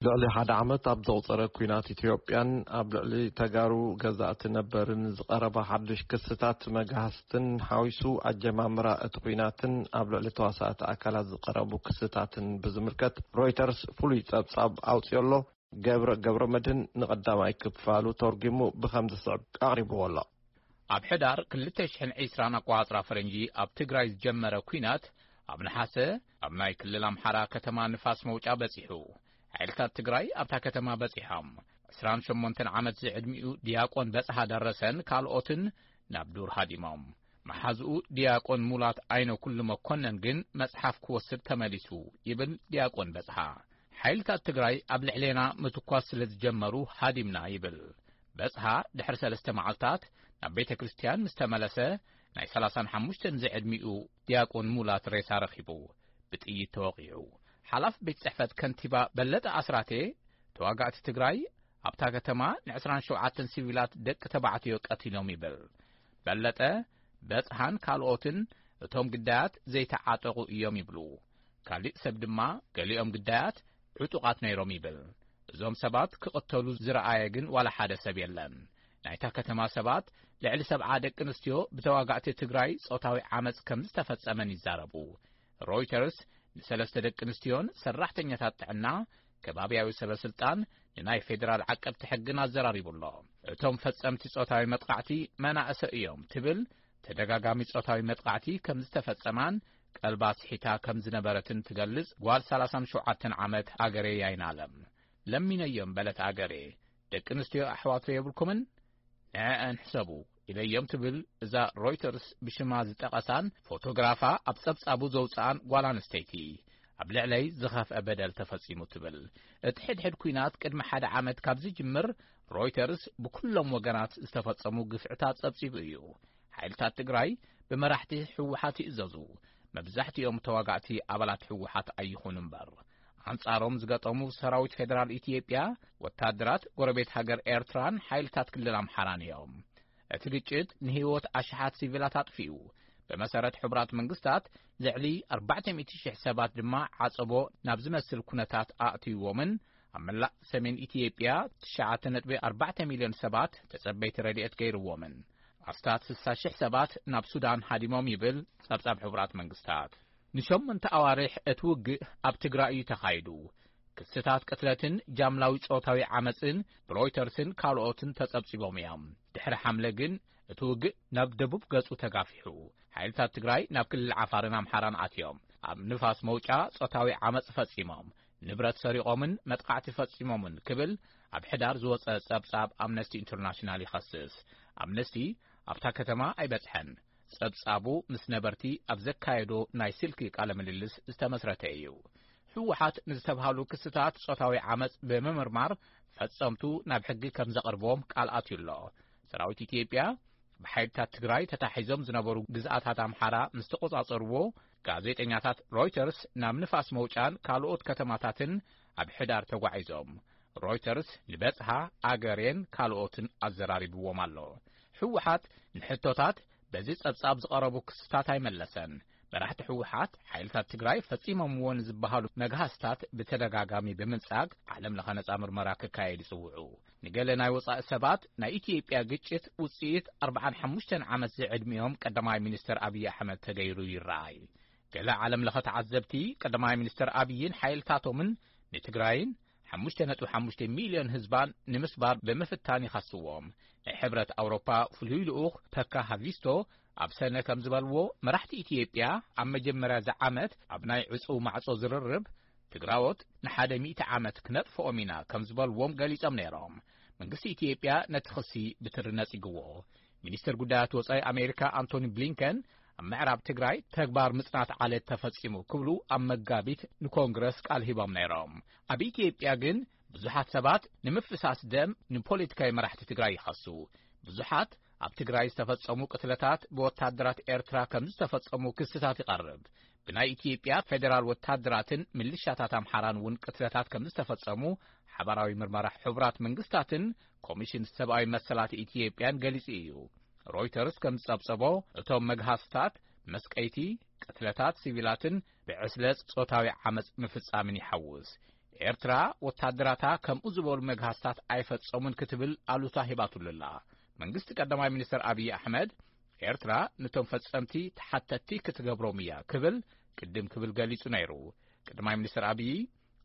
ልዕሊ ሓደ ዓመት ኣብ ዘቑጸረ ኲናት ኢትዮጵያን ኣብ ልዕሊ ተጋሩ ገዛእቲ ነበርን ዝቐረበ ሓድሽ ክስታት መግሃስትን ሓዊሱ፣ ኣጀማምራ እቲ ኲናትን ኣብ ልዕሊ ተዋሳእቲ ኣካላት ዝቐረቡ ክስታትን ብዝምልከት ሮይተርስ ፍሉይ ጸብጻብ ኣውጺኡ ኣሎ። ገብረ ገብረ መድህን ንቐዳማይ ክፋሉ ተርጒሙ ብኸም ዝስዕብ ኣቕሪብዎ ኣሎ። ኣብ ሕዳር ክልተ ሽሕን ዕስራን ኣቋጽራ ፈረንጂ ኣብ ትግራይ ዝጀመረ ኲናት ኣብ ነሓሰ ኣብ ናይ ክልል ኣምሓራ ከተማ ንፋስ መውጫ በጺሑ። ሓይልታት ትግራይ ኣብታ ከተማ በጺሖም። ዕስራን ሸሞንተን ዓመት ዝዕድሚኡ ዲያቆን በጽሃ ደረሰን ካልኦትን ናብ ዱር ሃዲሞም። መሓዝኡ ዲያቆን ሙላት ኣይነ ኩሉ መኮነን ግን መጽሓፍ ክወስድ ተመሊሱ ይብል ዲያቆን በጽሃ። ሓይልታት ትግራይ ኣብ ልዕሌና ምትኳስ ስለ ዝጀመሩ ሃዲምና ይብል። በጽሃ ድሕሪ ሰለስተ መዓልታት ናብ ቤተ ክርስቲያን ምስ ተመለሰ ናይ ሰላሳን ሓሙሽተን ዝዕድሚኡ ዲያቆን ሙላት ሬሳ ረኺቡ ብጥይት ተወቒዑ። ሓላፍ ቤት ጽሕፈት ከንቲባ በለጠ ኣስራቴ ተዋጋእቲ ትግራይ ኣብታ ከተማ ን ዕስራን ሸውዓተን ሲቪላት ደቂ ተባዕትዮ ቀቲሎም ይብል። በለጠ በጽሃን ካልኦትን እቶም ግዳያት ዘይተዓጠቑ እዮም ይብሉ። ካሊእ ሰብ ድማ ገሊኦም ግዳያት ዕጡቓት ነይሮም ይብል። እዞም ሰባት ክቕተሉ ዝረኣየ ግን ዋላ ሓደ ሰብ የለን። ናይታ ከተማ ሰባት ልዕሊ ሰብዓ ደቂ ኣንስትዮ ብተዋጋእቲ ትግራይ ጾታዊ ዓመጽ ከም ዝተፈጸመን ይዛረቡ። ሮይተርስ ንሰለስተ ደቂ ኣንስትዮን ሰራሕተኛታት ጥዕና ከባብያዊ ሰበ ስልጣን ንናይ ፌዴራል ዓቀብቲ ሕግን ኣዘራሪቡ ኣሎ። እቶም ፈጸምቲ ጾታዊ መጥቃዕቲ መናእሰ እዮም ትብል ተደጋጋሚ ጾታዊ መጥቃዕቲ ከም ዝተፈጸማን ቀልባ ስሒታ ከም ዝነበረትን ትገልጽ ጓል ሰላሳን ሸውዓተን ዓመት ኣገሬ ያይናለም። ለሚነዮም በለት ኣገሬ፣ ደቂ ኣንስትዮ ኣሕዋቶ የብልኩምን? ንዕአን ሕሰቡ ኢለዮም ትብል እዛ ሮይተርስ ብሽማ ዝጠቐሳን ፎቶግራፋ ኣብ ጸብጻቡ ዘውጽኣን ጓል ኣንስተይቲ። ኣብ ልዕለይ ዝኸፍአ በደል ተፈጺሙ ትብል። እቲ ሕድሕድ ኲናት ቅድሚ ሓደ ዓመት ካብ ዝጅምር ሮይተርስ ብኩሎም ወገናት ዝተፈጸሙ ግፍዕታት ጸብጺቡ እዩ። ሓይልታት ትግራይ ብመራሕቲ ህወሓት ይእዘዙ። መብዛሕትኦም ተዋጋእቲ ኣባላት ህወሓት ኣይኹኑ እምበር፣ ኣንጻሮም ዝገጠሙ ሰራዊት ፌደራል ኢትዮጵያ፣ ወታደራት ጎረቤት ሃገር ኤርትራን ሓይልታት ክልል ኣምሓራን እዮም። እቲ ግጭት ንህይወት ኣሽሓት ሲቪላት ኣጥፊኡ። ብመሰረት ሕቡራት መንግስታት፣ ልዕሊ ኣርባዕተ ሚእቲ ሽሕ ሰባት ድማ ዓጸቦ ናብ ዝመስል ኩነታት ኣእትይዎምን ኣብ መላእ ሰሜን ኢትዮጵያ ትሽዓተ ነጥቢ ኣርባዕተ ሚልዮን ሰባት ተጸበይቲ ረድኤት ገይርዎምን። ኣስታት ስሳ ሽሕ ሰባት ናብ ሱዳን ሃዲሞም ይብል ጸብጻብ ሕቡራት መንግስታት። ንሸሞንተ ኣዋርሕ እቲ ውግእ ኣብ ትግራይ እዩ ተኻይዱ። ክስታት ቅትለትን ጃምላዊ ጾታዊ ዓመጽን ብሮይተርስን ካልኦትን ተጸብጺቦም እዮም። ድሕሪ ሓምለ ግን እቲ ውግእ ናብ ደቡብ ገጹ ተጋፊሑ። ሓይልታት ትግራይ ናብ ክልል ዓፋርን ኣምሓራን ኣትዮም ኣብ ንፋስ መውጫ ጾታዊ ዓመጽ ፈጺሞም፣ ንብረት ሰሪቖምን መጥቃዕቲ ፈጺሞምን ክብል ኣብ ሕዳር ዝወጸ ጸብጻብ ኣምነስቲ ኢንተርናሽናል ይኸስስ። ኣምነስቲ ኣብታ ከተማ ኣይበጽሐን። ጸብጻቡ ምስ ነበርቲ ኣብ ዘካየዶ ናይ ስልኪ ቃለ ምልልስ ዝተመስረተ እዩ። ህወሓት ንዝተብሃሉ ክስታት ጾታዊ ዓመጽ ብምምርማር ፈጸምቱ ናብ ሕጊ ከም ዘቕርቦም ቃል ኣትዩ ኣሎ። ሰራዊት ኢትዮጵያ ብሓይልታት ትግራይ ተታሒዞም ዝነበሩ ግዝኣታት ኣምሓራ ምስ ተቖጻጸርዎ፣ ጋዜጠኛታት ሮይተርስ ናብ ንፋስ መውጫን ካልኦት ከተማታትን ኣብ ሕዳር ተጓዒዞም። ሮይተርስ ንበጽሃ ኣገሬን ካልኦትን ኣዘራሪብዎም ኣሎ። ህወሓት ንሕቶታት በዚ ጸብጻብ ዝቐረቡ ክስታት ኣይመለሰን። መራሕቲ ህወሓት ሓይልታት ትግራይ ፈጺሞምዎ ንዝበሃሉ መግሃስታት ብተደጋጋሚ ብምንጻግ ዓለም ለኸ ነጻ ምርመራ ክካየድ ይጽውዑ። ንገለ ናይ ወጻኢ ሰባት ናይ ኢትዮጵያ ግጭት ውጽኢት ኣርባዓን ሓሙሽተን ዓመት ዝዕድሚኦም ቀዳማይ ሚኒስተር ኣብይ ኣሕመድ ተገይሩ ይረኣይ። ገለ ዓለም ለኸ ተዓዘብቲ ቀዳማይ ሚኒስተር ኣብይን ሓይልታቶምን ንትግራይን ሓሙሽተ ነጥቢ ሓሙሽተ ሚልዮን ህዝባን ንምስባር ብምፍታን ይኸስዎም። ናይ ሕብረት ኣውሮፓ ፍሉይ ልኡኽ ፐካ ሃቪስቶ ኣብ ሰነ ከም ዝበልዎ፣ መራሕቲ ኢትዮጵያ ኣብ መጀመርያ እዚ ዓመት ኣብ ናይ ዕጹው ማዕጾ ዝርርብ ትግራዎት ንሓደ ሚእቲ ዓመት ክነጥፍኦም ኢና ከም ዝበልዎም ገሊጾም ነይሮም። መንግስቲ ኢትዮጵያ ነቲ ክሲ ብትሪ ነጺግዎ። ሚኒስትር ጉዳያት ወጻኢ ኣሜሪካ ኣንቶኒ ብሊንከን ኣብ ምዕራብ ትግራይ ተግባር ምጽናት ዓለት ተፈጺሙ ክብሉ ኣብ መጋቢት ንኮንግረስ ቃል ሂቦም ነይሮም። ኣብ ኢትዮጵያ ግን ብዙሓት ሰባት ንምፍሳስ ደም ንፖለቲካዊ መራሕቲ ትግራይ ይኸሱ። ብዙሓት ኣብ ትግራይ ዝተፈጸሙ ቅትለታት ብወታደራት ኤርትራ ከም ዝተፈጸሙ ክስታት ይቐርብ። ብናይ ኢትዮጵያ ፌደራል ወታደራትን ምልሻታት ኣምሓራን እውን ቅትለታት ከም ዝተፈጸሙ ሓባራዊ ምርመራ ሕቡራት መንግስታትን ኮሚሽን ሰብኣዊ መሰላት ኢትዮጵያን ገሊጹ እዩ። ሮይተርስ ከም ዝጸብጸቦ፣ እቶም መግሃስታት መስቀይቲ፣ ቅትለታት ሲቪላትን ብዕስለ ጾታዊ ዓመጽ ምፍጻምን ይሓውስ። ኤርትራ ወታደራታ ከምኡ ዝበሉ መግሃስታት ኣይፈጸሙን ክትብል ኣሉታ ሂባትሉ ኣላ። መንግስቲ ቀዳማይ ሚኒስተር ኣብይ ኣሕመድ ኤርትራ ነቶም ፈጸምቲ ተሓተቲ ክትገብሮም እያ ክብል ቅድም ክብል ገሊጹ ነይሩ። ቀዳማይ ሚኒስተር ኣብይ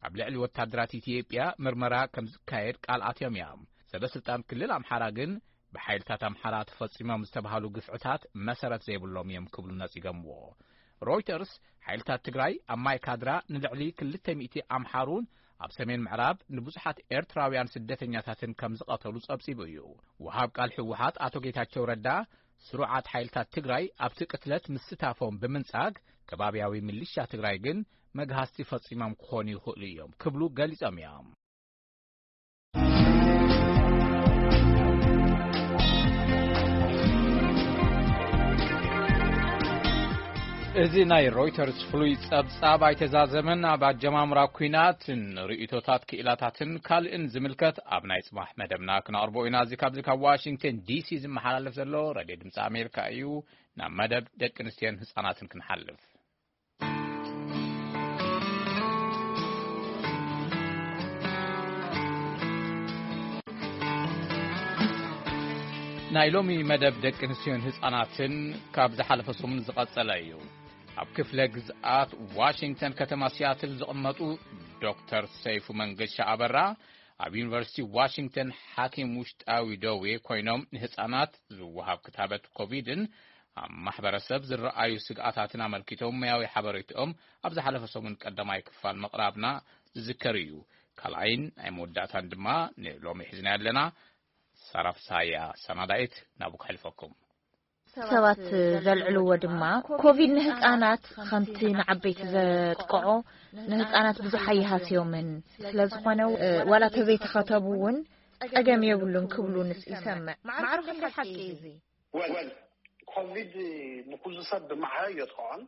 ኣብ ልዕሊ ወታደራት ኢትዮጵያ ምርመራ ከም ዝካየድ ቃል ኣትዮም እዮም። ሰበ ስልጣን ክልል ኣምሓራ ግን ብሓይልታት ኣምሓራ ተፈጺሞም ዝተባህሉ ግፍዕታት መሰረት ዘይብሎም እዮም ክብሉ ነጺጎምዎ። ሮይተርስ ሓይልታት ትግራይ ኣብ ማይ ካድራ ንልዕሊ ክልተ ሚእቲ ኣምሓሩን ኣብ ሰሜን ምዕራብ ንብዙሓት ኤርትራውያን ስደተኛታትን ከም ዝቐተሉ ጸብጺቡ እዩ። ወሃብ ቃል ህወሓት ኣቶ ጌታቸው ረዳ ስሩዓት ሓይልታት ትግራይ ኣብቲ ቅትለት ምስታፎም ብምንጻግ ከባብያዊ ሚሊሻ ትግራይ ግን መግሃስቲ ፈጺሞም ክኾኑ ይኽእሉ እዮም ክብሉ ገሊጾም እዮም። እዚ ናይ ሮይተርስ ፍሉይ ጸብጻብ ኣይተዛዘመን። ኣብ ኣጀማምራ ኲናት ንርእይቶታት ክኢላታትን ካልእን ዝምልከት ኣብ ናይ ጽባሕ መደብና ክነቕርቦ ኢና። እዚ ካብዚ ካብ ዋሽንግተን ዲሲ ዝመሓላለፍ ዘሎ ሬድዮ ድምፂ ኣሜሪካ እዩ። ናብ መደብ ደቂ ኣንስትዮን ህጻናትን ክንሓልፍ። ናይ ሎሚ መደብ ደቂ ኣንስትዮን ህጻናትን ካብ ዝሓለፈ ሰሙን ዝቐጸለ እዩ። ኣብ ክፍለ ግዝኣት ዋሽንግተን ከተማ ሲያትል ዝቕመጡ ዶክተር ሰይፉ መንገሻ ኣበራ ኣብ ዩኒቨርሲቲ ዋሽንግተን ሓኪም ውሽጣዊ ደዌ ኮይኖም ንህጻናት ዝወሃብ ክታበት ኮቪድን ኣብ ማሕበረሰብ ዝረኣዩ ስግኣታትን ኣመልኪቶም ሙያዊ ሓበሬትኦም ኣብ ዝሓለፈ ሰሙን ቀዳማይ ክፋል ምቕራብና ዝዝከር እዩ። ካልኣይን ናይ መወዳእታን ድማ ንሎሚ ሒዝና ኣለና። ሳራ ፍስሃያ ሰናዳይት ናብኡ ከሕልፈኩም። ሰባት ዘልዕልዎ ድማ ኮቪድ ንህፃናት ከምቲ ንዓበይቲ ዘጥቅዖ ንህፃናት ብዙሕ ኣይሃስዮምን። ስለዝኾነ ዋላ ተዘይተኸተቡ እውን ጸገም የብሉን ክብሉ ንስ ይሰምዕ። ማዕረ ክንደይ ሓቂ እዩ እዚ? ወል ኮቪድ ንኩሉ ሰብ ብማዕረ የጥቅዖን።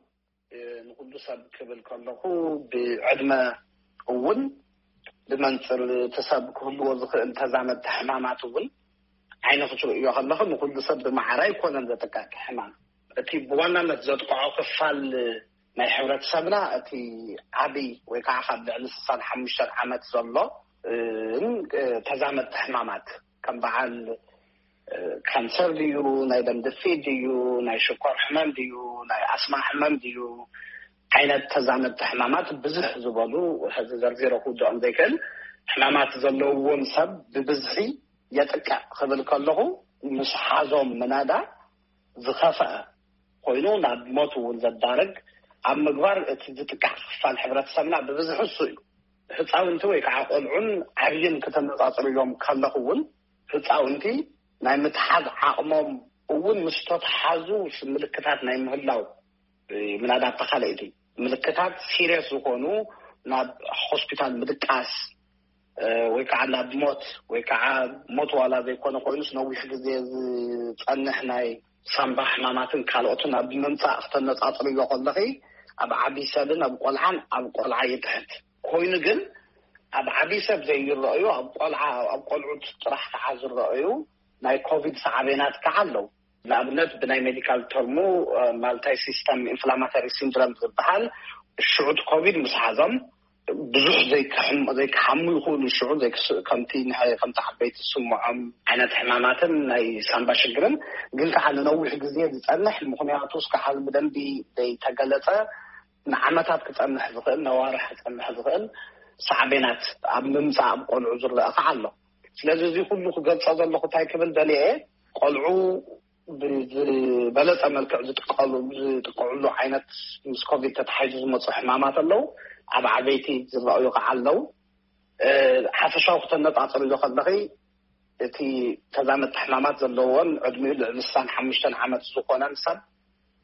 ንኩሉ ሰብ ክብል ከለኹ ብዕድመ እውን ብመንፅር እቲ ሰብ ክህልዎ ዝኽእል ተዛመድቲ ሕማማት እውን ዓይነ ክትርእዮ ከለኹ ንኩሉ ሰብ ብማዕረ ኣይኮነን ዘጥቅዕ ሕማም። እቲ ብዋናነት ዘጥቅዖ ክፋል ናይ ሕብረተሰብና እቲ ዓብይ ወይ ከዓ ካብ ልዕሊ ስሳን ሓሙሽተን ዓመት ዘሎ ተዛመድቲ ሕማማት ከም በዓል ካንሰር ድዩ፣ ናይ ደም ግፊት ድዩ፣ ናይ ሽኮር ሕማም ድዩ፣ ናይ ኣስማ ሕማም ድዩ፣ ዓይነት ተዛመድቲ ሕማማት ብዝሕ ዝበሉ ሕዚ ዘርዚረ ክውድኦም ዘይክእል ሕማማት ዘለውዎም ሰብ ብብዝሒ የጥቅዕ ክብል ከለኹ ምስ ሓዞም ምናዳ ዝኸፍአ ኮይኑ ናብ ሞት እውን ዘዳርግ ኣብ ምግባር እቲ ዝጥቃዕ ክፋል ሕብረተሰብና ብብዝሒ እሱ እዩ። ህፃውንቲ ወይ ከዓ ቆልዑን ዓብይን ክተነፃፅርዮም ከለኹ እውን ህፃውንቲ ናይ ምትሓዝ ዓቕሞም እውን ምስ ተተሓዙ ምልክታት ናይ ምህላው ምናዳ ተኻለይቲ ምልክታት ሲሪየስ ዝኾኑ ናብ ሆስፒታል ምድቃስ ወይ ከዓ ናብ ሞት ወይ ከዓ ሞት ዋላ ዘይኮነ ኮይኑስ ነዊሕ ግዜ ዝፀንሕ ናይ ሳምባ ሕማማትን ካልኦትን ኣብ ምምፃእ ክተነፃፅርዮ ከለኺ ኣብ ዓብይ ሰብን ኣብ ቆልዓን ኣብ ቆልዓ ይትሕት ኮይኑ ግን ኣብ ዓብይ ሰብ ዘይረኣዩ ኣብ ቆልዓ ኣብ ቆልዑት ጥራሕ ከዓ ዝረኣዩ ናይ ኮቪድ ሳዕቤናት ከዓ ኣለዉ። ንኣብነት ብናይ ሜዲካል ተርሙ ማልታይ ሲስተም ኢንፍላማተሪ ሲንድረም ዝበሃል ሽዑት ኮቪድ ምስ ሓዞም ብዙሕ ዘይክሓሙ ይኽእሉ ሽዑ ከምቲ ከምቲ ዓበይቲ ዝስምዖም ዓይነት ሕማማትን ናይ ሳምባ ሽግርን ግን ከዓ ንነዊሕ ግዜ ዝፀንሕ ምክንያቱ እስከ ሓዚ ብደንቢ ዘይተገለፀ ንዓመታት ክፀንሕ ዝኽእል ነዋርሕ ክፀንሕ ዝኽእል ሳዕቤናት ኣብ ምምፃእ ኣብ ቆልዑ ዝረአ ከዓ ኣሎ። ስለዚ እዚ ኩሉ ክገልፆ ዘለኹ እንታይ ክብል ደልየ ቆልዑ ብዝበለፀ መልክዕ ዝጥቀሉ ዝጥቀዕሉ ዓይነት ምስ ኮቪድ ተታሒዙ ዝመፁ ሕማማት ኣለዉ። ኣብ ዓበይቲ ዝረኣዩ ከዓ ኣለዉ። ሓፈሻዊ ክተነፃፅርዮ ከለኺ እቲ ተዛመድቲ ሕማማት ዘለዎን ዕድሚኡ ልዕሊ ስሳን ሓሙሽተን ዓመት ዝኾነን ሰብ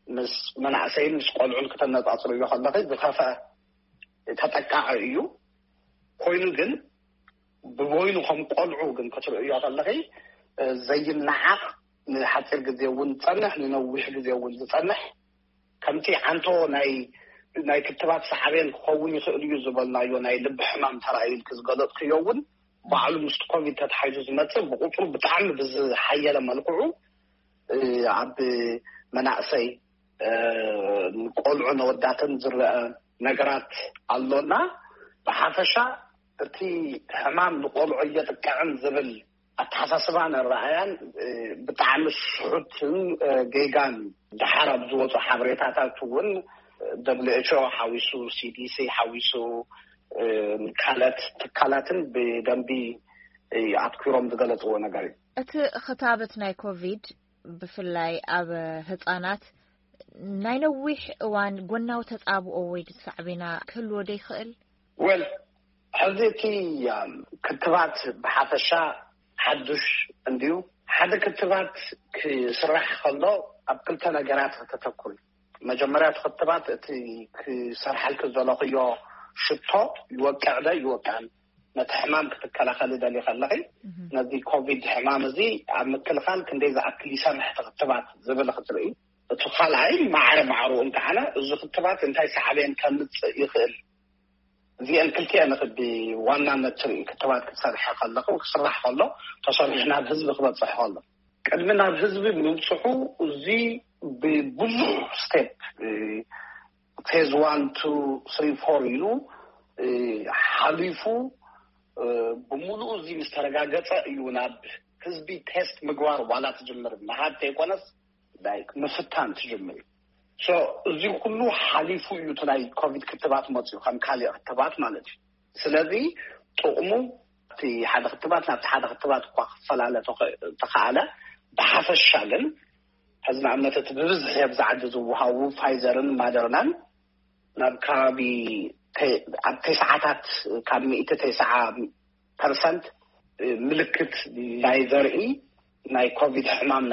ምስ መናእሰይን ምስ ቆልዑን ክተነፃፅርዮ ከለኺ ዝኸፍአ ተጠቃዒ እዩ። ኮይኑ ግን ብበይኑ ከም ቆልዑ ግን ክትርእዮ ከለኺ ዘይነዓቕ ንሓፂር ግዜ እውን ዝፀንሕ ንነዊሕ ግዜ እውን ዝፀንሕ ከምቲ ዓንቶ ናይ ናይ ክትባት ሳዕቤን ክኸውን ይኽእል እዩ ዝበልናዮ ናይ ልቢ ሕማም ተራእዩ ኢልክ ዝገለፅክዮ እውን ባዕሉ ምስቲ ኮቪድ ተታሒዙ ዝመፅእ ብቁፅሩ ብጣዕሚ ብዝሓየለ መልክዑ ኣብ መናእሰይ ቆልዑ ነወዳትን ዝረአ ነገራት ኣሎና። ብሓፈሻ እቲ ሕማም ንቆልዑ እየጥቅዕን ዝብል ኣተሓሳስባን ኣረኣያን ብጣዕሚ ስሑትን ጌጋን። ደሓር ኣብ ዝወፁ ሓበሬታታት እውን ደብሊው ኤች ኦ ሓዊሱ፣ ሲ ዲ ሲ ሓዊሱ፣ ካልኦት ትካላትን ብደንቢ ኣትኪሮም ዝገለፅዎ ነገር እዩ። እቲ ክታበት ናይ ኮቪድ ብፍላይ ኣብ ህጻናት ናይ ነዊሕ እዋን ጎናዊ ተጻብኦ ወይ ሳዕቤና ክህልዎ ዶ ይኽእል? ወል ሕዚ እቲ ክትባት ብሓፈሻ ሓዱሽ እንድዩ። ሓደ ክትባት ክስራሕ ከሎ ኣብ ክልተ ነገራት ከተተኩር። መጀመርያ እቲ ክትባት እቲ ክሰርሓልክ ዘለኽዮ ሽቶ ይወቅዕ ዶ ይወቅዕን፣ ነቲ ሕማም ክትከላኸል ደሊ ከለኺ፣ ነዚ ኮቪድ ሕማም እዚ ኣብ ምክልኻል ክንደይ ዝኣክል ይሰርሕ እቲ ክትባት ዝብል ክትርኢ። እቲ ካልኣይ ማዕረ ማዕሩ እንተዓነ እዚ ክትባት እንታይ ሳዕቤን ከምፅእ ይኽእል፣ እዚአን ክልቲአን ክዲ ዋናነት ትርኢ። ክትባት ክትሰርሐ ከለኹ ክስራሕ ከሎ ተሰሪሑ ናብ ህዝቢ ክበፅሕ ከሎ ቅድሚ ናብ ህዝቢ ምብፅሑ እዚ ብብዙሕ ስቴፕ ፌዝ ዋን ቱ ስሪ ፎር ኢሉ ሓሊፉ ብምሉኡ እዚ ምስ ተረጋገፀ እዩ ናብ ህዝቢ ቴስት ምግባር ዋላ ትጅምር። ምሃብ ተይኮነስ ምፍታን ትጅምር እዩ። እዚ ኩሉ ሓሊፉ እዩ እቲ ናይ ኮቪድ ክትባት መፅኡ ከም ካሊእ ክትባት ማለት እዩ። ስለዚ ጥቕሙ እቲ ሓደ ክትባት ናብቲ ሓደ ክትባት እኳ ክፈላለ ተኸኣለ፣ ብሓፈሻ ግን ሕዚ ንኣብነት እቲ ብብዝሒ ኣብዚ ዓዲ ዝወሃቡ ፋይዘርን ማደርናን ናብ ከባቢ ኣብ ተስዓታት ካብ ሚእቲ ተስዓ ፐርሰንት ምልክት ናይ ዘርኢ ናይ ኮቪድ ሕማም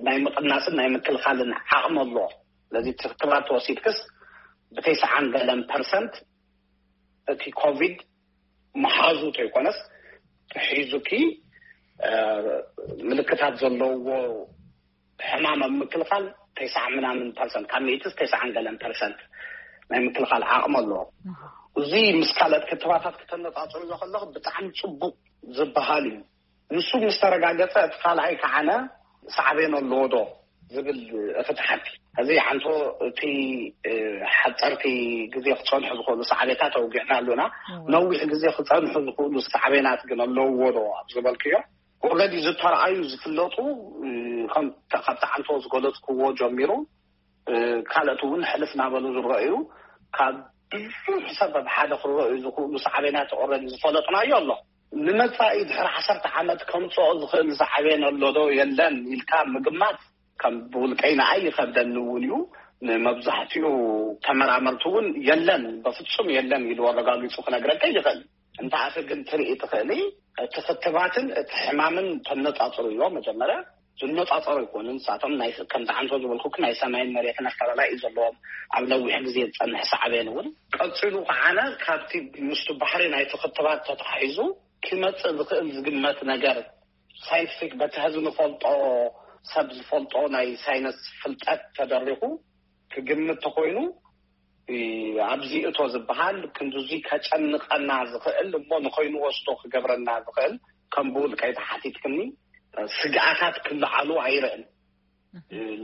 ናይ ምቕናስን ናይ ምክልኻልን ዓቕሚ ኣለዎ። ስለዚ ክትባት ተወሲድክስ ብተስዓን ገለን ፐርሰንት እቲ ኮቪድ መሓዙ ተይኮነስ ተሒዙኪ ምልክታት ዘለዎ ሕማም ኣብ ምክልኻል ተስዓ ምናምን ፐርሰንት ካብ ሚእትስ ተስዓን ገለን ፐርሰንት ናይ ምክልኻል ዓቕሚ ኣለዎ። እዚ ምስ ካልኦት ክትባታት ክተነፃፅርዮ ከለኹ ብጣዕሚ ፅቡቕ ዝበሃል እዩ። ንሱ ምስ ተረጋገፀ እቲ ካልኣይ ከዓነ ሳዕቤን ኣለዎ ዶ ዝብል እቲ ትሓቲ። እዚ ዓንቶ እቲ ሓፀርቲ ግዜ ክፀንሑ ዝኽእሉ ሳዕቤታት ኣውጊዕና ኣሉና። ነዊሕ ግዜ ክፀንሑ ዝኽእሉ ሳዕቤናት ግን ኣለውዎ ዶ ኣብ ዝበልክዮ፣ ኦረዲ ዝተረኣዩ ዝፍለጡ ካብቲ ዓንቶ ዝገለፅክዎ ጀሚሩ ካልኦት እውን ሕልፍ ናበሉ ዝረኣዩ ካብ ብዙሕ ሰብ ኣብ ሓደ ክረኣዩ ዝኽእሉ ሳዕቤናት ኦረዲ ዝፈለጥናዮ ኣሎ። ንመፃኢ ድሕሪ ዓሰርተ ዓመት ከምፅኦ ዝኽእል ሳዕቤን ኣሎ ዶ የለን ኢልካ ምግማት ከም ብውልቀይ ንኣይ ይኸብደኒ እውን እዩ። ንመብዛሕትኡ ተመራመርቲ እውን የለን፣ በፍፁም የለን ኢሉ ኣረጋጊፁ ክነግረካ ይኽእል። እንተኣኸ ግን ትርኢ ትኽእሊ እቲ ክትባትን እቲ ሕማምን ተነፃፅርዮ። መጀመርያ ዝነፃፀሩ ኣይኮኑን። ንሳቶም ከምቲ ዓንቶ ዝበልኩ ናይ ሰማይን መሬትን ኣፈላላይ እዩ ዘለዎም። ኣብ ነዊሕ ግዜ ዝፀንሕ ሳዕቤን እውን ቀፂሉ ከዓነ ካብቲ ምስቲ ባሕሪ ናይቲ ክትባት ተታሒዙ ክመፅእ ዝኽእል ዝግመት ነገር ሳይንቲፊክ በቲ ሕዚ ንፈልጦ ሰብ ዝፈልጦ ናይ ሳይንስ ፍልጠት ተደሪኹ ክግምት ተኮይኑ ኣብዚ እቶ ዝበሃል ክንድዚ ከጨንቐና ዝኽእል እሞ ንኸይንወስዶ ክገብረና ዝኽእል ከም ብውልቀይ ተሓቲትክኒ ስግኣታት ክለዓሉ ኣይርእን።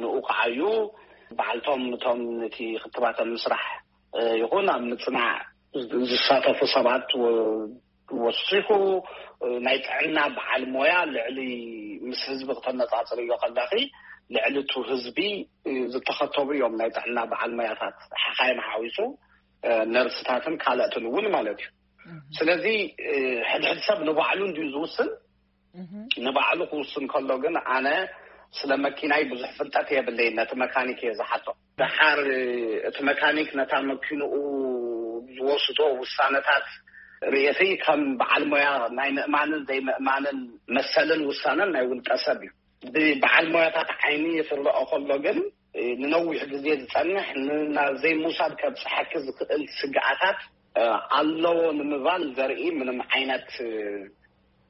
ንኡ ከዓዩ በዓልቶም እቶም ነቲ ክትባተ ምስራሕ ይኹን ኣብ ምፅናዕ ዝሳተፉ ሰባት ወሲኹ ናይ ጥዕና በዓል ሞያ ልዕሊ ምስ ህዝቢ ክተነፃፅርዮ ከለኺ ልዕሊ እቱ ህዝቢ ዝተኸተቡ እዮም ናይ ጥዕና በዓል ሞያታት ሓኻይም ሓዊሱ ነርስታትን ካልኦትን እውን ማለት እዩ። ስለዚ ሕድሕድ ሰብ ንባዕሉ እንድዩ ዝውስን። ንባዕሉ ክውስን ከሎ ግን ኣነ ስለ መኪናይ ብዙሕ ፍልጠት የብለይን፣ ነቲ መካኒክ እየ ዝሓቶ። ደሓር እቲ መካኒክ ነታ መኪንኡ ዝወስዶ ውሳነታት ርእየተይ ከም በዓል ሞያ ናይ ምእማንን ዘይምእማንን መሰልን ውሳነን ናይ ውልቀ ሰብ እዩ። ብበዓል ሞያታት ዓይኒ ክረኦ ከሎ ግን ንነዊሕ ግዜ ዝፀንሕ ናብ ዘይምውሳድ ከብፅሐኪ ዝኽእል ስግኣታት ኣለዎ ንምባል ዘርኢ ምንም ዓይነት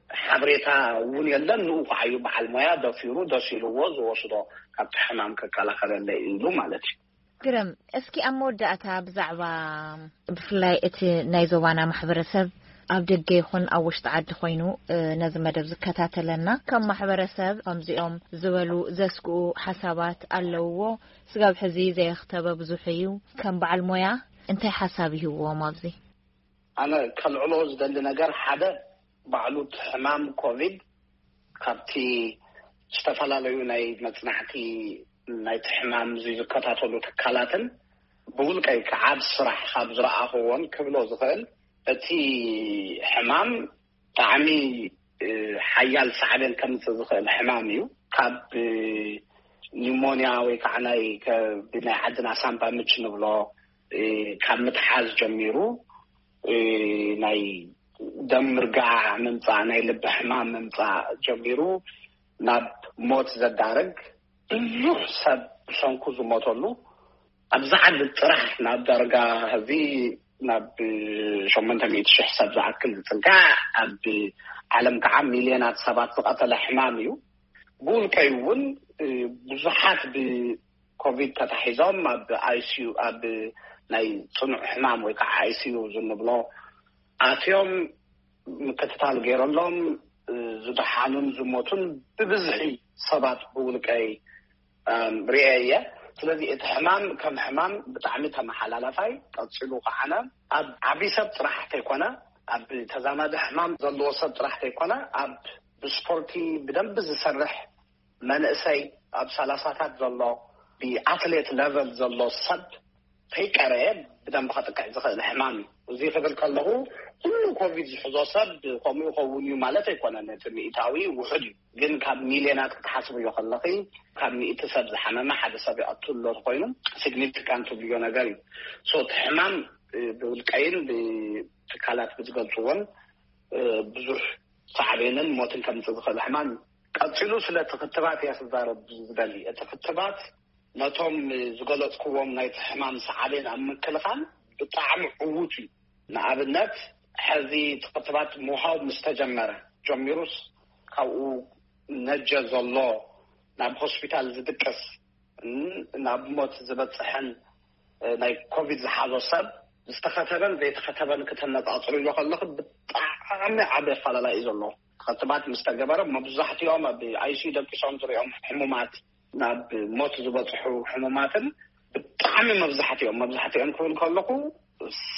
ሓበሬታ እውን የለን። ንኡ ከዓዩ በዓል ሞያ ደፊሩ ደስ ኢልዎ ዝወስዶ ካብቲ ሕማም ክከላኸለለይ ኢሉ ማለት እዩ። ግርም፣ እስኪ ኣብ መወዳእታ ብዛዕባ ብፍላይ እቲ ናይ ዞባና ማሕበረሰብ ኣብ ደገ ይኹን ኣብ ውሽጢ ዓዲ ኮይኑ ነዚ መደብ ዝከታተለና ከም ማሕበረሰብ ከምዚኦም ዝበሉ ዘስግኡ ሓሳባት ኣለውዎ። ስጋብ ሕዚ ዘየኽተበ ብዙሕ እዩ። ከም በዓል ሞያ እንታይ ሓሳብ ይህብዎም ኣብዚ? ኣነ ከልዕሎ ዝደሊ ነገር ሓደ፣ ባዕሉ እቲ ሕማም ኮቪድ ካብቲ ዝተፈላለዩ ናይ መጽናዕቲ ናይቲ ሕማም እዚ ዝከታተሉ ትካላትን ብውልቀይ ከዓ ኣብ ስራሕ ካብ ዝረኣኽዎን ክብሎ ዝኽእል፣ እቲ ሕማም ብጣዕሚ ሓያል ሳዕቤን ከምፅእ ዝኽእል ሕማም እዩ። ካብ ኒሞንያ ወይ ከዓ ናይ ብናይ ዓድና ሳምባ ምች ንብሎ ካብ ምትሓዝ ጀሚሩ፣ ናይ ደም ምርጋዕ ምምፃእ፣ ናይ ልቢ ሕማም ምምፃእ ጀሚሩ ናብ ሞት ዘዳርግ፣ ብዙሕ ሰብ ብሰንኩ ዝሞተሉ፣ ኣብዚ ዓዲ ጥራሕ ናብ ዳርጋ ህዚ ናብ ሸሞንተ ሚእቲ ሽሕ ሰብ ዝኣክል ዝፅጋዕ፣ ኣብ ዓለም ከዓ ሚልዮናት ሰባት ዝቐተለ ሕማም እዩ። ብውልቀይ እውን ብዙሓት ብኮቪድ ተታሒዞም ኣብ ኣይሲዩ፣ ኣብ ናይ ፅኑዕ ሕማም ወይ ከዓ ኣይሲዩ ዝንብሎ ኣትዮም ምክትታል ገይረሎም ዝደሓኑን ዝሞቱን ብብዝሒ ሰባት ብውልቀይ ርኤ እየ። ስለዚ እቲ ሕማም ከም ሕማም ብጣዕሚ ተመሓላላፋይ፣ ቀፂሉ ከዓነ ኣብ ዓብዪ ሰብ ጥራሕ ተይኮነ፣ ኣብ ተዛማዲ ሕማም ዘለዎ ሰብ ጥራሕ ተይኮነ፣ ኣብ ብስፖርቲ ብደንቢ ዝሰርሕ መንእሰይ፣ ኣብ ሰላሳታት ዘሎ ብኣትሌት ለቨል ዘሎ ሰብ ከይቀረየ ብደንቢ ከጥቅዕ ዝኽእል ሕማም እዩ። እዚ ክብል ከለኹ ኩሉ ኮቪድ ዝሕዞ ሰብ ከምኡ ይኸውን እዩ ማለት ኣይኮነን። እቲ ሚእታዊ ውሑድ እዩ፣ ግን ካብ ሚልዮናት ክትሓስብዮ ከለኺ፣ ካብ ሚእቲ ሰብ ዝሓመመ ሓደ ሰብ ይቐትል ኣሎ ኮይኑ፣ ሲግኒፊካንት ትብልዮ ነገር እዩ። ሶ እቲ ሕማም ብውልቀይን ብትካላት ብዝገልፅዎን ብዙሕ ሳዕቤንን ሞትን ከምፅእ ዝኽእል ሕማም እዩ። ቀፂሉ ስለቲ ክትባት እየ ክዛረብ ዝደሊ። እቲ ክትባት ነቶም ዝገለፅክዎም ናይቲ ሕማም ሳዕቤን ኣብ ምክልኻል ብጣዕሚ ዕዉት እዩ። ንኣብነት፣ ሕዚ እቲ ክትባት ምሃብ ምስ ተጀመረ ጀሚሩስ፣ ካብኡ ነጀ ዘሎ ናብ ሆስፒታል ዝድቅስ፣ ናብ ሞት ዝበፅሕን ናይ ኮቪድ ዝሓዞ ሰብ ዝተኸተበን ዘይተኸተበን ክተነፃፅርዮ ከለኹ ብጣዕሚ ዓቢ ኣፈላላይ እዩ ዘሎ። ክትባት ምስ ተገበረ መብዛሕትኦም ኣብ ኣይሲዩ ደቂሶም ዝሪኦም ሕሙማት፣ ናብ ሞት ዝበፅሑ ሕሙማትን ብጣዕሚ መብዛሕትኦም፣ መብዛሕትኦም ክብል ከለኹ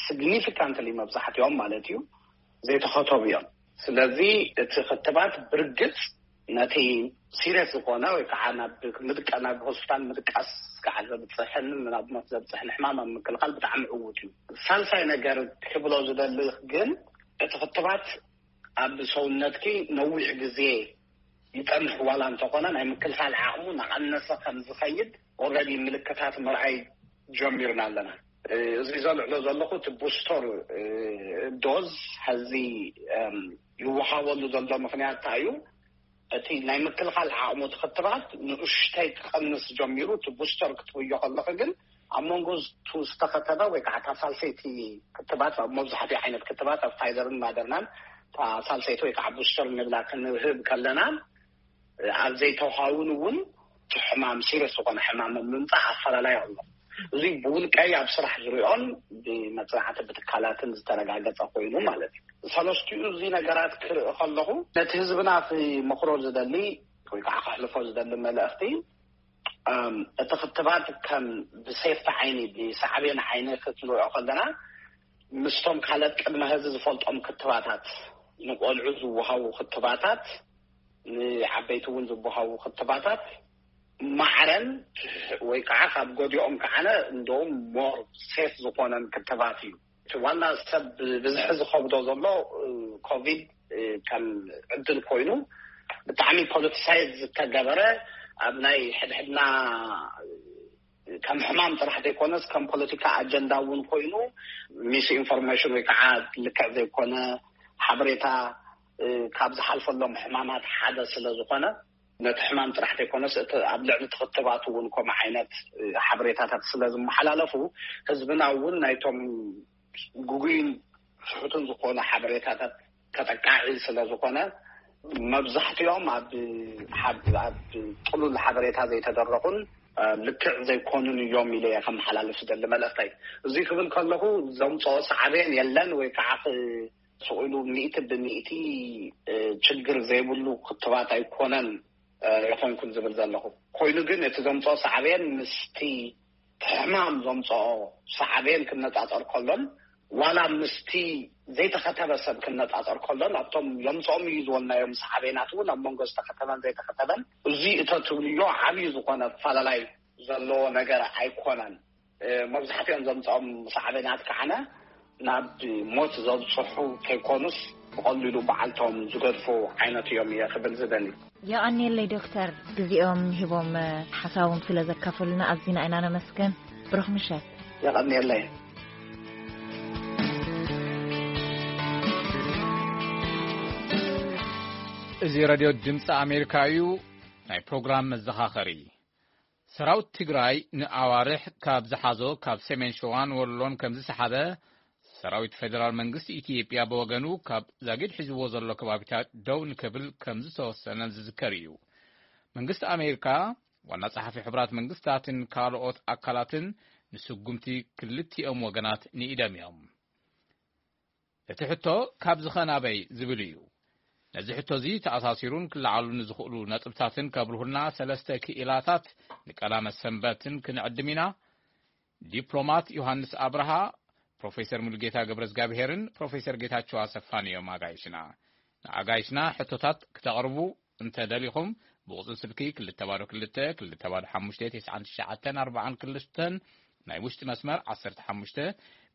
ሲግኒፊካንትሊ መብዛሕትኦም ማለት እዩ፣ ዘይተኸተቡ እዮም። ስለዚ እቲ ክትባት ብርግፅ ነቲ ሲሪየስ ዝኾነ ወይ ከዓ ናብ ምድቃ-፣ ናብ ሆስፒታል ምድቃስ ከዓ ዘብፅሕን ናብ ሞት ዘብፅሕን ሕማም ኣብ ምክልኻል ብጣዕሚ ዕዉት እዩ። ሳልሳይ ነገር ክብሎ ዝደሊ ግን፣ እቲ ክትባት ኣብ ሰውነትኪ ነዊሕ ግዜ ይፀንሕ ዋላ እንተኾነ፣ ናይ ምክልኻል ዓቕሙ እናቐነሰ ከም ዝኸይድ ኦልሬዲ ምልክታት ምርኣይ ጀሚርና ኣለና። እዚ ዘልዕሎ ዘለኹ እቲ ቡስተር ዶዝ ሐዚ ይወሃበሉ ዘሎ ምኽንያት እንታይ እዩ? እቲ ናይ ምክልኻል ዓቕሙ እቲ ክትባት ንእሽተይ ክቐንስ ጀሚሩ፣ እቲ ቡስተር ክትብዮ ከለኺ ግን ኣብ መንጎ እቱ ዝተኸተበ ወይ ከዓ እታ ሳልሰይቲ ክትባት፣ ኣብ መብዛሕትኡ ዓይነት ክትባት ኣብ ፋይዘርን ማደርናን እታ ሳልሰይቲ ወይ ከዓ ቡስተር ንብላ ክንህብ ከለና፣ ኣብ ዘይተውሃውን እውን እቲ ሕማም ሲሪየስ ዝኾነ ሕማም ኣብ ምምፃእ ኣፈላላይ ኣሎ። እዚ ብውልቀይ ኣብ ስራሕ ዝሪኦን ብመፅናዕቲ ብትካላትን ዝተረጋገፀ ኮይኑ ማለት እዩ። ሰለስቲኡ እዚ ነገራት ክርኢ ከለኹ ነቲ ህዝብና ክመኽሮ ዝደሊ ወይ ከዓ ከሕልፎ ዝደሊ መልእኽቲ፣ እም፣ እቲ ክትባት ከም ብሴፍቲ ዓይኒ፣ ብሳዕቤን ዓይኒ ክትንሪኦ ከለና፣ ምስቶም ካልኦት ቅድመ ሕዚ ዝፈልጦም ክትባታት፣ ንቆልዑ ዝወሃቡ ክትባታት፣ ንዓበይቲ እውን ዝወሃቡ ክትባታት ማዕረን ወይ ከዓ ካብ ጎዲኦም ከዓነ እንደውም ሞር ሴፍ ዝኾነን ክትባት እዩ። እቲ ዋና ሰብ ብዝሒ ዝኸብዶ ዘሎ ኮቪድ ከም ዕድል ኮይኑ ብጣዕሚ ፖለቲሳይዝ ዝተገበረ፣ ኣብ ናይ ሕድሕድና ከም ሕማም ጥራሕ ዘይኮነስ ከም ፖለቲካ ኣጀንዳ እውን ኮይኑ፣ ሚስ ኢንፎርሜሽን ወይ ከዓ ልክዕ ዘይኮነ ሓበሬታ ካብ ዝሓልፈሎም ሕማማት ሓደ ስለ ዝኾነ፣ ነቲ ሕማም ጥራሕ ዘይኮነስ እቲ ኣብ ልዕሊ ትኽትባት እውን ከምኡ ዓይነት ሓበሬታታት ስለ ዝመሓላለፉ፣ ህዝብና እውን ናይቶም ግጉይን ስሑትን ዝኾኑ ሓበሬታታት ተጠቃዒ ስለ ዝኾነ፣ መብዛሕትኦም ኣብ ሓብ-፣ ኣብ ጥሉል ሓበሬታ ዘይተደረኹን ልክዕ ዘይኮኑን እዮም ኢለ እየ ከመሓላልፍ ዝደሊ መልእኽተይ። እዚ ክብል ከለኹ ዘምፅኦ ሳዕቤን የለን ወይ ከዓ ክ-፣ ስቕ ኢሉ ሚእቲ ብሚእቲ ችግር ዘይብሉ ክትባት ኣይኮነን ይኾንኩን ዝብል ዘለኹ። ኮይኑ ግን እቲ ዘምፅኦ ሳዕቤን ምስቲ ሕማም ዘምፅኦ ሳዕቤን ክነፃፀር ከሎን ዋላ ምስቲ ዘይተኸተበ ሰብ ክነጻጸር ከሎ፣ ናብቶም የምጽኦም እዩ ዝበልናዮም ሳዕቤናት እውን ኣብ መንጎ ዝተኸተበን ዘይተኸተበን እዚ እቶ ትብልዮ ዓብዪ ዝኾነ ኣፈላላይ ዘለዎ ነገር ኣይኮነን። እ፣ መብዛሕትኦም ዘምጽኦም ሳዕቤናት ከዓነ ናብ ሞት ዘብጽሑ ከይኮኑስ፣ ብቐሊሉ በዓልቶም ዝገድፉ ዓይነት እዮም እየ ክብል ዝደሊ። የቐንየለይ ዶክተር፣ ግዜኦም ሂቦም፣ እ፣ ሓሳቦም ስለ ዘካፈሉና ኣዚና ኢና ነመስገን። ብሩኽ ምሸት። የቐንየለይ። እዚ ሬድዮ ድምፂ ኣሜሪካ እዩ። ናይ ፕሮግራም መዘኻኸሪ። ሰራዊት ትግራይ ንኣዋርሕ ካብ ዝሓዞ ካብ ሰሜን ሸዋን ወሎን ከም ዝሰሓበ፣ ሰራዊት ፌደራል መንግስቲ ኢትዮጵያ ብወገኑ ካብ ዛጊድ ሒዝዎ ዘሎ ከባቢታት ደው ንክብል ከም ዝተወሰነ ዝዝከር እዩ። መንግስቲ ኣሜሪካ፣ ዋና ጸሓፊ ሕቡራት መንግስታትን ካልኦት ኣካላትን ንስጉምቲ ክልቲኦም ወገናት ንኢዶም እዮም። እቲ ሕቶ ካብዚ ኸ ናበይ ዝብል እዩ። ነዚ ሕቶ እዚ ተኣሳሲሩን ክለዓሉ ንዝኽእሉ ነጥብታትን ከብርሁልና ሰለስተ ክኢላታት ንቀዳመ ሰንበትን ክንዕድም ኢና። ዲፕሎማት ዮሃንስ ኣብርሃ፣ ፕሮፌሰር ሙሉጌታ ገብረዝጋብሄርን ፕሮፌሰር ጌታቸው ኣሰፋን እዮም ኣጋይሽና። ንኣጋይሽና ሕቶታት ክተቕርቡ እንተ ደሊኹም፣ ብቑጽሪ ስልኪ ክልተ ባዶ ክልተ፣ ክልተ ባዶ ሓሙሽተ፣ ተስዓን ትሽዓተን ኣርባዓን ክልተን፣ ናይ ውሽጢ መስመር ዓሰርተ ሓሙሽተ፣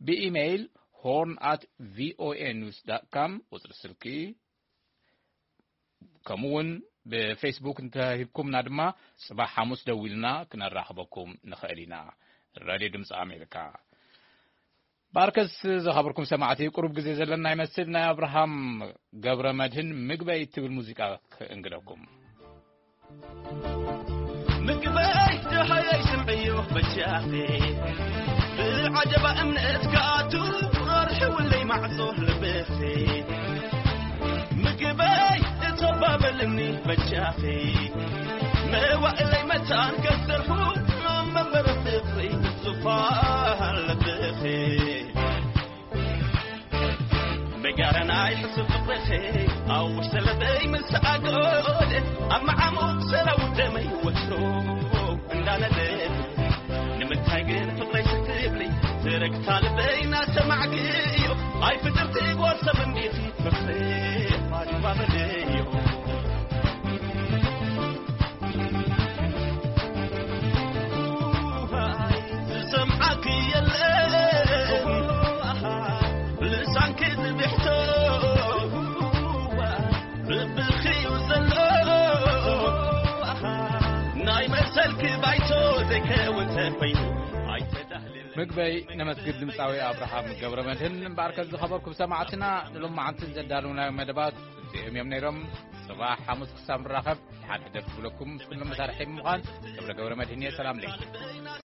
ብኢሜይል ሆርን ኣት ቪኦኤ ኒውስ ዳት ካም ቁጽሪ ስልኪ፣ ከምኡ እውን ብፌስቡክ እንተሂብኩምና ድማ፣ ጽባሕ ሓሙስ ደዊልና ክነራኽበኩም ንኽእል ኢና። ራድዮ ድምፂ ኣሜሪካ። ባርከስ ዝኸበርኩም ሰማዕቲ፣ ቁሩብ ግዜ ዘለና ይመስል። ናይ ኣብርሃም ገብረ መድህን ምግበይ እትብል ሙዚቃ ክእንግደኩም። ምግበይ ደሃየይ ስምዕዮ በጃኺ፣ ብዓጀባ እምነት ክኣቱ ኣርሕውለይ ማዕጾ ልብኺ። ምግበይ እተባበልኒ በጃኺ፣ መዋእለይ መታን ከሰርሑ፣ ኣብ መንበሪ ፍቕሪ ዙፋን ልብኺ። በጋራ ናይ ሕሱር ፍቕርኺ፣ ኣብ ውሽጢ ልበይ ምስ ኣጎል፣ ኣብ መዓሙቕ ሰራው ደመይ ወትሩ እንዳነደድ። ንምንታይ ግን ፍቕረይ ስትብሊ፣ ትርግታ ልበይ እናሰማዕክዮ፣ ኣይ ፍጥርቲ ጓል ሰብ እንዲኺ ፍቕሪ ባድባበለዮ። ዝሰምዓኪ የለን ልሳንኪ ዝብሕቶ፣ ልብኺ እዩ ዘሎ ናይ መሰልኪ ባይቶ፣ ዘይከውን ተኾይኑ ኣይተዳህልል። ምግበይ ነመስግን ድምፃዊ ኣብርሃም ገብረ መድህን። እምበኣርከ ዝኸበርኩም ሰማዕትና፣ ንሎማዓንቲ ዘዳለውናዮ መደባት እዚኦም እዮም ነይሮም። ጽባሕ ሓሙስ ክሳብ ንራኸብ፣ ደሓን ሕደር ክብለኩም ምስ ኩሎም መሳርሒ ብምዃን ገብረ ገብረ መድህን እየ። ሰላም ለይኩም።